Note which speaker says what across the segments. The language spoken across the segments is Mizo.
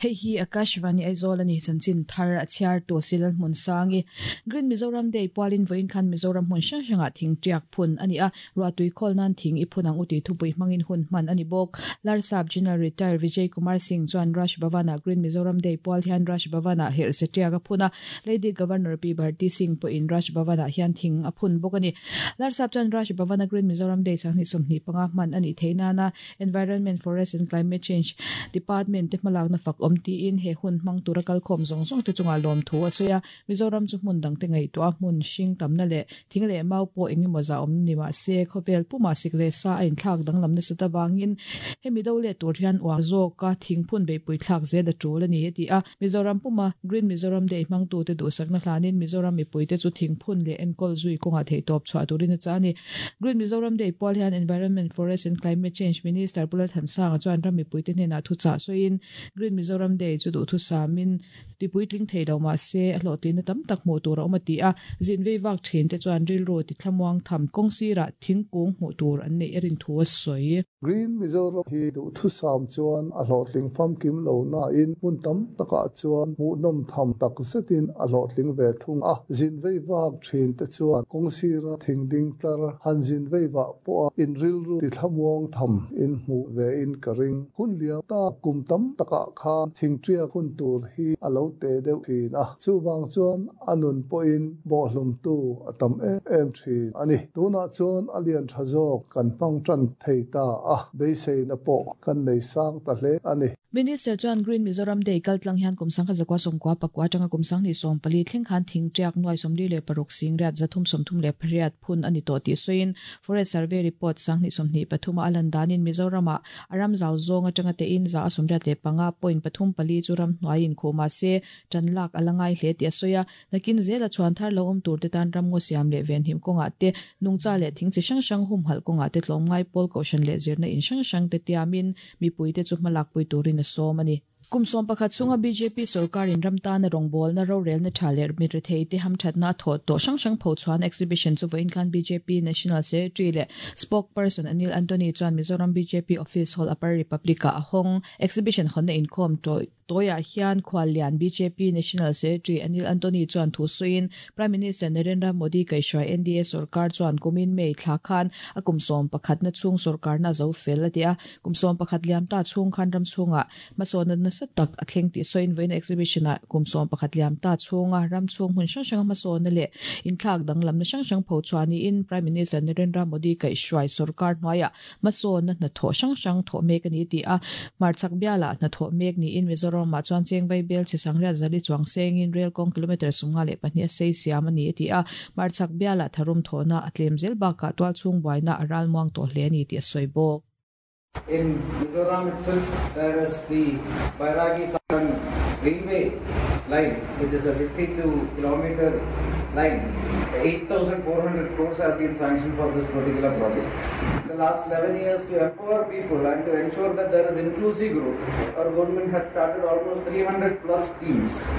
Speaker 1: Hei hi Akashvani Aizawl a ni, chanchin thar a chhiartu Silal Hmunsangi. Green Mizoram Day pualin vawiin khan Mizoram hmun hrang hrangah thing tiak phun a ni a, ruahtui khawl nan thing i phun ang u tih thupui hmangin hun hman a ni bawk. Larsap General Retire Vijay Kumar Singh chuan Raj Bhavan-ah Green Mizoram Day pual hian Raj Bhavan-ah herhse tiak a phun a, Lady Governor Pi Bharti Singh pawhin Raj Bhavan-ah hian thing a phun bawk a ni. Larsap chuan Raj Bhavan-a Green Mizoram Day sanghnih 25 hman a nih theih nana Environment, Forest and Climate Change Department te hmalakna fak awm tiin he hun hmang tura kalkhawm zawng zawng te chungah lawmthu a sawi a. Mizoram chu hmun dangte ngaihtuah a hmun hring tamna leh thing leh mau pawh eng emaw zah awm ni mah se khawvel pumah sik leh sa a inthlak danglam nasat avangin hemi do leh tur hian uar zawka thingphun beihpui thlak zel a tul a ni a ti a. Mizoram puma Green Mizoram Day hmangtute duhsakna hlanin Mizoram mipuite chu thingphun leh enkawl zui kawngah theihtawp chhuah turin a chah a ni. Green Mizoram Day pual hian Environment, Forest and Climate Change Minister Pu Lalthansanga chuan ram mipuite hnenah thuchah sawiin Green Mizoram Day chu duhthusamin tipuitling thei lo mah se a hlawhtlinna tam tak hmuh tur a awm a ti a. Zin vei vak thin te chuan rilru tithlamuang tham kawng sirah thingkung hmuh tur an neih a rin thu a sawi.
Speaker 2: Green Mizoram hi duhthusam chuan a hlawhtling famkim lo nain hmun tam takah chuan hmuhnawm tham tak zetin a hlawhtling ve thung a. Zin vei vak thin te chuan kawng sira thing ding tlar han zin vei vah pawha in rilru tithlamuang tham in hmuh ve in ka ring. Hun liam tak kum tam takah khan thingṭiak hun tur hi a lo te deuh thin a, chuvang chuan a nun pawhin bawhhlumtu a tam em em thin a ni. Tunah chuan a lian tha zawk kan hmang tan thei ta a, beiseina pawh kan nei sang ta hle a ni.
Speaker 1: Minister chuan Green Mizoram Day kaltlang hian kum sangkhat zakua sawmkua pakua atanga kum sanghnih 14 thleng khan thing tiak nuai 46 singriat 338 phun a ni tawh tih sawiin Forest Survey Report sanghnih 23 a a lan danin Mizoramah a ram zau zawng atanga tein za a 85 point pathum pali chu ram hnuaiin khuh mah se tan lak a la ngai hle tih a sawi a. Nakin zela chhuan thar lo awm tur te tan ramngaw siam leh venhim kawngah te, nungcha leh thing chi hrang hrang humhalh kawngah te tlawmngai pawl kohhran leh zirna in hrang hrang te tiamin mipui te chu hmalakpui turin a sawm a ni. Kum 11 chhunga bjp sorkarin ram tana rawngbawlna rorelna tha leh mirethei te hamthatna a thawh tawh hrang hrang phochhuahna exhibition chu vawiin khan bjp National Secretary leh Spokesperson Anil Antony chuan Mizoram bjp Office Hall Upper Republic-ah a hawng. Exhibition hawnna inkhawm tawih Tawiah hian khuallian bjp National Secretary Anil Antony chuan thu sawiin Prime Minister Narendra Modi kaihhruai NDA sorkar chuan kumin May thla khan a kum 11na chhung sorkarna a zo fel a ti a. Kum 11 liam ta chhung khan ram chhungah hmasawnna nasa tak a thleng tih sawiin vawiin exhibition-ah kum 11 liam ta chhunga ram chhung hmun hrang hranga hmasawnna leh inthlak danglamna hrang hrang pho chhuah niin Prime Minister Narendra Modi kaihhruai sorkar hnuaiah hmasawnna hnathawh hrang hrang thawh mek a ni tih a. Hmarchhak bialah hnathawh mek niin Mizoramah chuan Chengvai bel chhe sangriat zali chuang sengin rel kawng kilometre 52 a sei siam a ni a ti a. Hmarchhak bialah tharum thawhna a tlem zel bakah tualchhung buaina a ralmuang tawh hle a ni tih a sawi bawk.
Speaker 3: In Mizoram itself there is the Bairagi Saran railway line which is a 52 kilometer line. 8,400 crores have been sanctioned for this particular project. The last 11 years to empower people and to ensure that there is inclusive growth, our government had started almost 300 plus schemes.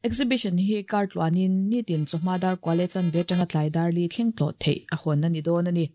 Speaker 1: Exhibition hi kar tluanin nitin chawhma dar kua leh chanve atanga tlai dar li thleng tlawh theih a hawn a ni dawn a ni.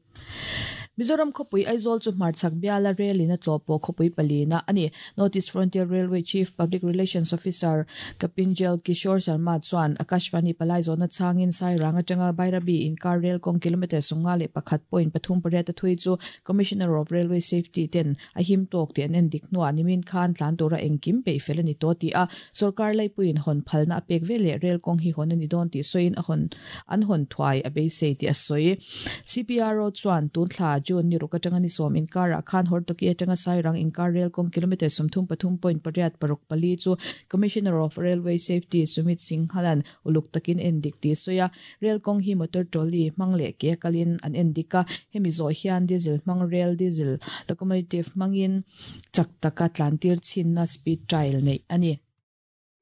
Speaker 1: Mizoram khawpui Aizawl chu hmarchhak biala rel in a tlawh pawh khawpui palina a ni. North East Frontier Railway Chief Public Relations Officer Kapinjal Kishore Sharma chuan Akashvani palai zawhna chhangin Sairang atanga Bairabi inkar rel kawng kilometre 51.38 a thui chu Commissioner of Railway Safety ten a him tawk tih an en dik hnuah nimin khan tlan tura engkim peih fel a ni tawh tih a sorkar laipuiin hawn phalna a pek ve leh rel kawng hi hawn a ni dawn tih sawiin a hawn an hawn thuai a beisei tih a sawi. CPRO chuan tun thla June ni ruk atanga ni sawm inkarah khan Hortoki atanga Sairang inkar rel kawng kilometre 33.6 64 chu Commissioner of Railway Safety Sumit Singhalan uluk takin en dik tih sawi a. Rel kawng hi motor trolley hmang leh ke a kalin an en dik a, hemi zawh hian diesel hmang rel diesel locomotive hmangin chak taka tlantir chhinna speed trial neih a ni.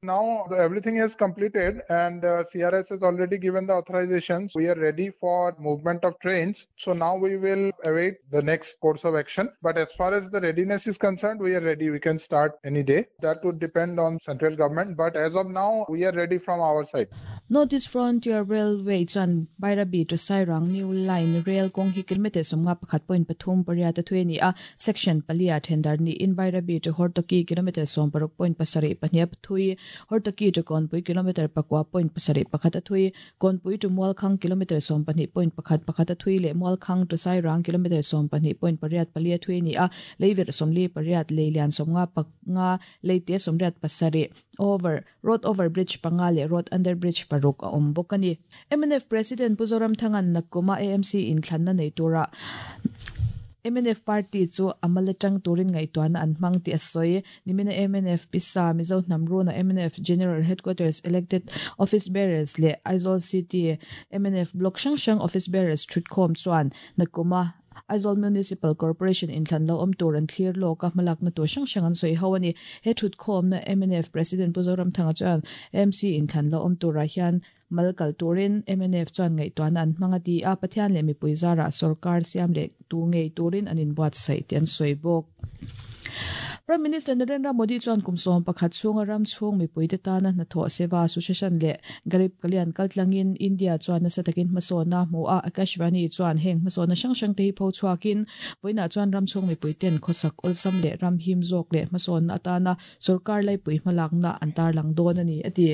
Speaker 4: Now everything is completed and CRS has already given the authorization. We are ready for movement of trains. So now we will await the next course of action. But as far as the readiness is concerned, we are ready. We can start any day. That would depend on central government. But as of now, we are ready from our side.
Speaker 1: North East Frontier Railway chuan Bairabi to Sairang New Line rel kawng hi kilometre 51.38 a thui a ni a, section palia thendar niin Bairabi to Hortoki kilometre 16.72 a thui, Hortoki to Kawnpui kilometre 9.71 a thui, Kawnpui to Mualkhang kilometre 12.11 a thui leh Mualkhang to Sairang kilometre 12.84 a thui a ni a, leiverh 48, leilian 55, leite 87, over, road over bridge panga leh road under bridge paruk a awm bawk a ni. Mnf President Pu Zoramthanga'n Nakkuma AMC inthlanna nei tura mnf party chu a mal atang turin ngaihtuahna an hmang tih a sawi. Nimina mnf pisa Mizo hnam runa mnf General Headquarters elected office bearers leh Aizawl City mnf block hrang hrang office bearers thutkhawm chuan Nakkuma Aizawl Municipal Corporation inthlan lo awm tur an thlir lawk a, hmalakna tur hrang hrang an sawi ho a ni. He thutkhawmna mnf President Pu Zoramthanga chuan AMC inthlan lo awm turah hian mal kal turin mnf chuan ngaihtuahna an hmang a ti a, Pathian leh mipui zarah sorkar siam leh tu ngei turin an inbuatsaih tih an sawi bawk. Prime Minister Narendra Modi chuan kum 11 chhunga ram chhung mipuite tana hnathawh Seva Association leh Garib Kalyan kaltlangin India chuan nasa takin hmasawn a hmu a, Akashvani chuan heng hmasawnna hrang hrang te hi pho chhuakin vawiinah chuan ram chhung mipuiten khawsak awlsam leh ram him zawk leh hmasawnna atana sorkar laipui hmalakna an tarlang dawn a ni, a ti.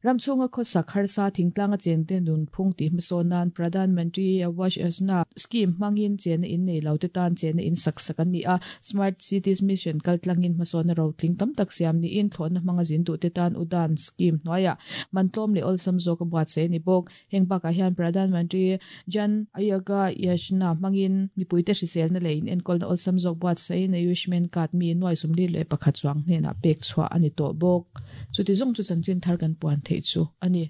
Speaker 1: Ram chhunga khawsak harsa thingtlanga chente nunphung tih hmasawn nan Pradhan Mantri Awas Yojana scheme hmangin chenna in nei lo te tan chenna in sak sak an ni a, Smart Cities Mission kaltlangin hmasawnna rotling tam tak siam niin thlawhna hmanga zin duh te tan Udan scheme hnuaiah mantlawm leh awlsam zawk a buatsaih a ni bawk. Heng bakah hian Pradhan Mantri Jan Ayoga Yojana hmangin mipuite hriselna leh inenkawlna awlsam zawk buatsaihin Ayushman Card mi nuai 41 chuang hnenah pek chhuah a ni tawh bawk. Chuti zawng chu chanchin thar kan puan theih chu a ni.